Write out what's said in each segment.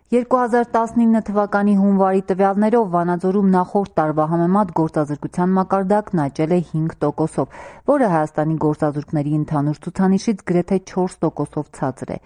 2019 թվականի հունվարի տվյալներով Վանաձորում նախորդ տարվա համեմատ գործազրկության մակարդակն աճել է 5%-ով, որը Հայաստանի գործազուրկների ընդհանուր ցուցանիշից գրեթե 4%-ով ցածր է։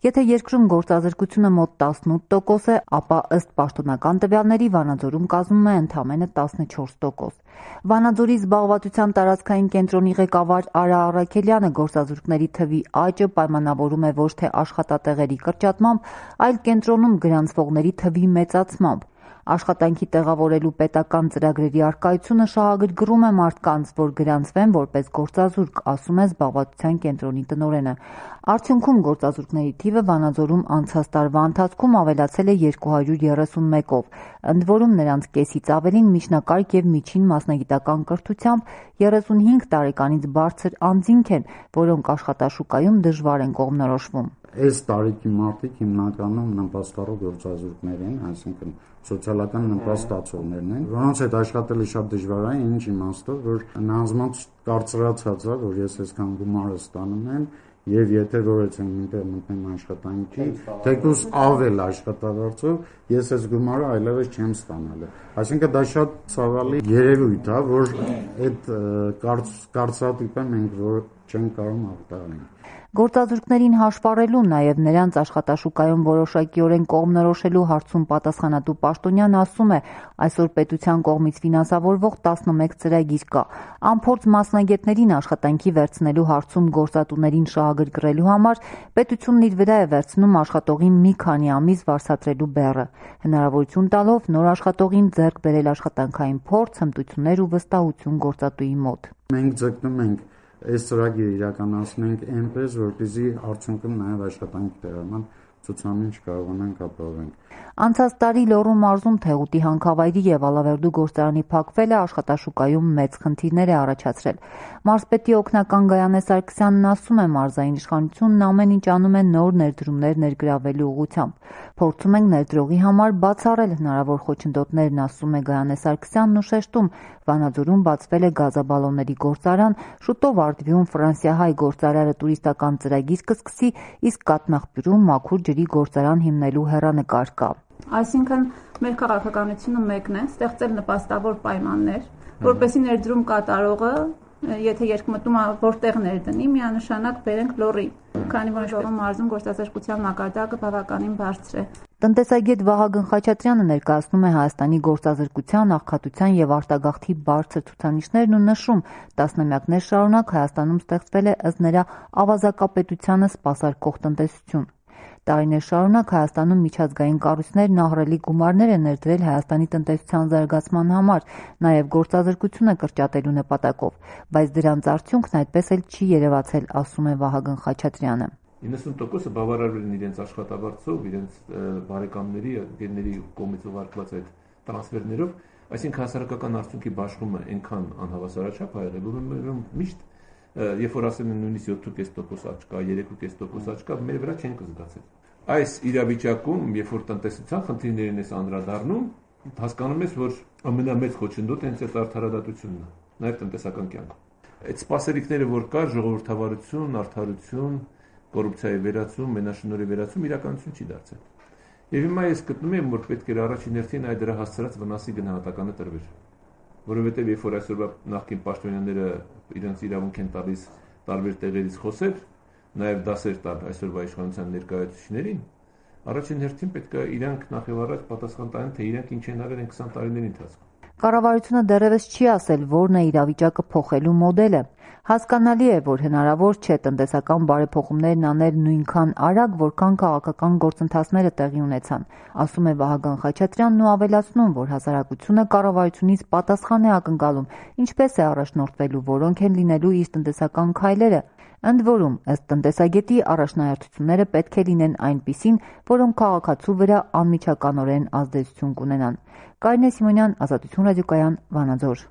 Եթե երկրում գործազրկությունը մոտ 18% է, ապա ըստ պաշտոնական տվյալների Վանաձորում կազմում է ընդամենը 14%։ Վանաձորի զբաղվածության տարածքային կենտրոնի ղեկավար Արա Առաքելյանը գործազուրկների թվի աճը պայմանավորում է ոչ թե աշխատատեղերի կրճատմամբ, այլ կենտրոնում գրանցվողների թվի մեծացմամբ։ Աշխատանքի տեղավորելու պետական ծրագրերի առկայությունը շահագրգռում է մարդկանց, որ գրանցվեն որպես գործազուրկ, ասում է զբաղվածության կենտրոնի տնօրենը։ Արդյունքում գործազուրկների թիվը Վանաձորում անցած տարվա ընթացքում ավելացել է 231-ով, ընդ որում նրանց կեսից ավելին միջնակարգ եւ միջին մասնագիտական կրթությամբ 35 տարեկանից բարձր անձինք են, որոնք աշխատաշուկայում դժվար են կողմնորոշվում։ Այս տարիքի մարդիկ հիմնականում նպաստառու գործազուրկներ են, այսինքն սոցիալական նպաստ ստացողներն են, որոնց հետ աշխատելը շատ դժվար է, ինչ իմաստով, որ նրանց կարծրացած է, որ ես այսքան գումարը ստանում եմ, եւ եթե որեցեմ ինտեր մտնեմ աշխատանքի, թեկուզ ավել աշխատավարձով, ես այս գումարը այլևս չեմ ստանալու։ Այսինքն դա շատ ցավալի երևույթ է, որ այդ կարծրատիպը մենք որ չենք կարող արտահայտել։ Գործազուրկներին հաշվառելու, նաև նրանց աշխատաշուկայում որոշակիորեն կողմնորոշելու հարցում պատասխանատու պաշտոնյան ասում է, այսօր պետության կողմից ֆինանսավորվող 11 ծրագիր կա։ Անփորձ մասնագետներին աշխատանքի վերցնելու հարցում գործատուներին շահագրգռելու համար պետությունն իր վրա է վերցնում աշխատողին մի քանի ամիս վարձատրելու բեռը, հնարավորություն տալով նոր աշխատողին ձեռք բերել աշխատանքային փորձ, հմտություններ ու վստահություն գործատուի մոտ։ Մենք ձգտում ենք այս ծրագիրը իրականացնենք այնպես, որպեսզի արդյունքում նաև աշխատանքի տեղական ցուցանիշ կարողանանք ապահովել։ Անցած տարի Լոռու մարզում Թեղուտի հանքավայրի եւ Ալավերդու գործարանի փակվելը աշխատաշուկայում մեծ խնդիրներ է առաջացրել։ Մարզպետի օգնական Գայանե Սարգսյանն ասում է, մարզային իշխանությունն ամեն ինչ անում է նոր ներդրումներ ներգրավելու ուղղությամբ։ Փորձում ենք ներդրողի համար բացառել հնարավոր խոչընդոտներն, ասում է Գայանե Սարգսյանն ու շեշտում, Վանաձորում բացվել է գազաբալոնների գործարան, շուտով Արտվիում ֆրանսիահայ գործարարը տուրիստական ծրագիր կսկսի, իսկ Կաթնաղբյուրում մաքուր ջրի գործարան հիմնելու հեռանկար կա։ Այսինքն մեր քաղաքականությունը մեկն է, ստեղծել նպաստավոր պայմաններ, որպեսզի ներդրում կատարողը, եթե երկմտում որտեղ ներդնի, միանշանակ բերենք Լոռի, քանի որ Լոռու մարզում գործազրկության մակարդակը բավականին բարձր է։ Տնտեսագետ Վահագն Խաչատրյանը ներկայացնում է Հայաստանի գործազրկության, աղքատության եւ արտագաղթի բարձր ցուցանիշներն ու նշում, տասնամյակներ շարունակ Հայաստանում ստեղծվել է ըստ նրա ավազակապետությանը սպասարկող տնտեսություն։ Տարիներ շարունակ Հայաստանում միջազգային կառույցներն ահռելի գումարներ են ներդրել Հայաստանի տնտեսության զարգացման համար, նաև գործազրկությունը կրճատելու նպատակով, բայց դրանց արդյունքն այդպես էլ չի երևացել, ասում է Վահագն Խաչատրյանը։ 90%-ը բավարարվել են իրենց աշխատավարձով, իրենց բարեկամների, ընկերների կողմից ուղարկված այդ տրանսֆերներով, այսինքն հասարակական արդյունքի բաշխումը այնքան անհավասարաչափ ա եղել, որ միշտ երբ որ ասում են նույնիսկ 7.5% աճ կա, 3.5% աճ կա, մեր վրա չենք զգացել։ Այս իրավիճակում, երբ որ տնտեսության խնդիրներին ես անդրադառնում, հասկանում ես, որ ամենամեծ խոչընդոտը հենց այդ արդարադատությունն է, նաև տնտեսական կյանքում։ Այդ սպասելիքները, որ կա, ժողովրդավարություն, արդարություն, կոռուպցիայի վերացում, մենաշնորհի վերացում իրականություն չի դարձել։ Եվ հիմա ես գտնում եմ, որ պետք էր առաջին հերթին այդ դրա հասցրած վնասի գնահատականը տրվեր, որովհետև երբ որ այսօրվա նախկին պաշտոնյաները իրենց իրավունք են տալիս տարբեր տեղերից խոսել, նաև դասեր տալ այսօրվա իշխանության ներկայացուցիչներին, առաջին հերթին պետք է իրանք նախ եւ առաջ պատասխան տան, թե իրանք ինչ են արել 20 տարիների ընթացքում։ Կառավարությունը դեռևս չի ասել, որն է իրավիճակը փոխելու մոդելը։ Հասկանալի է, որ հնարավոր չէ տնտեսական բարեփոխումներն անել նույնքան արագ, որքան քաղաքական գործընթացները տեղի ունեցան, ասում է Վահագն Խաչատրյանն ու ավելացնում, որ հասարակությունը կառավարությունից պատասխան է ակնկալում, ինչպես է առաջնորդվելու, որոնք են լինելու իր տնտեսական քայլերը։ Ընդ որում, ըստ տնտեսագետի, առաջնահերթությունները պետք է լինեն այնպիսին, որոնք քաղաքացու վրա անմիջականորեն ազդեցություն կունենան։ Կարինե Սիմոնյան, Ազատություն ռադիոկայան, Վանաձոր։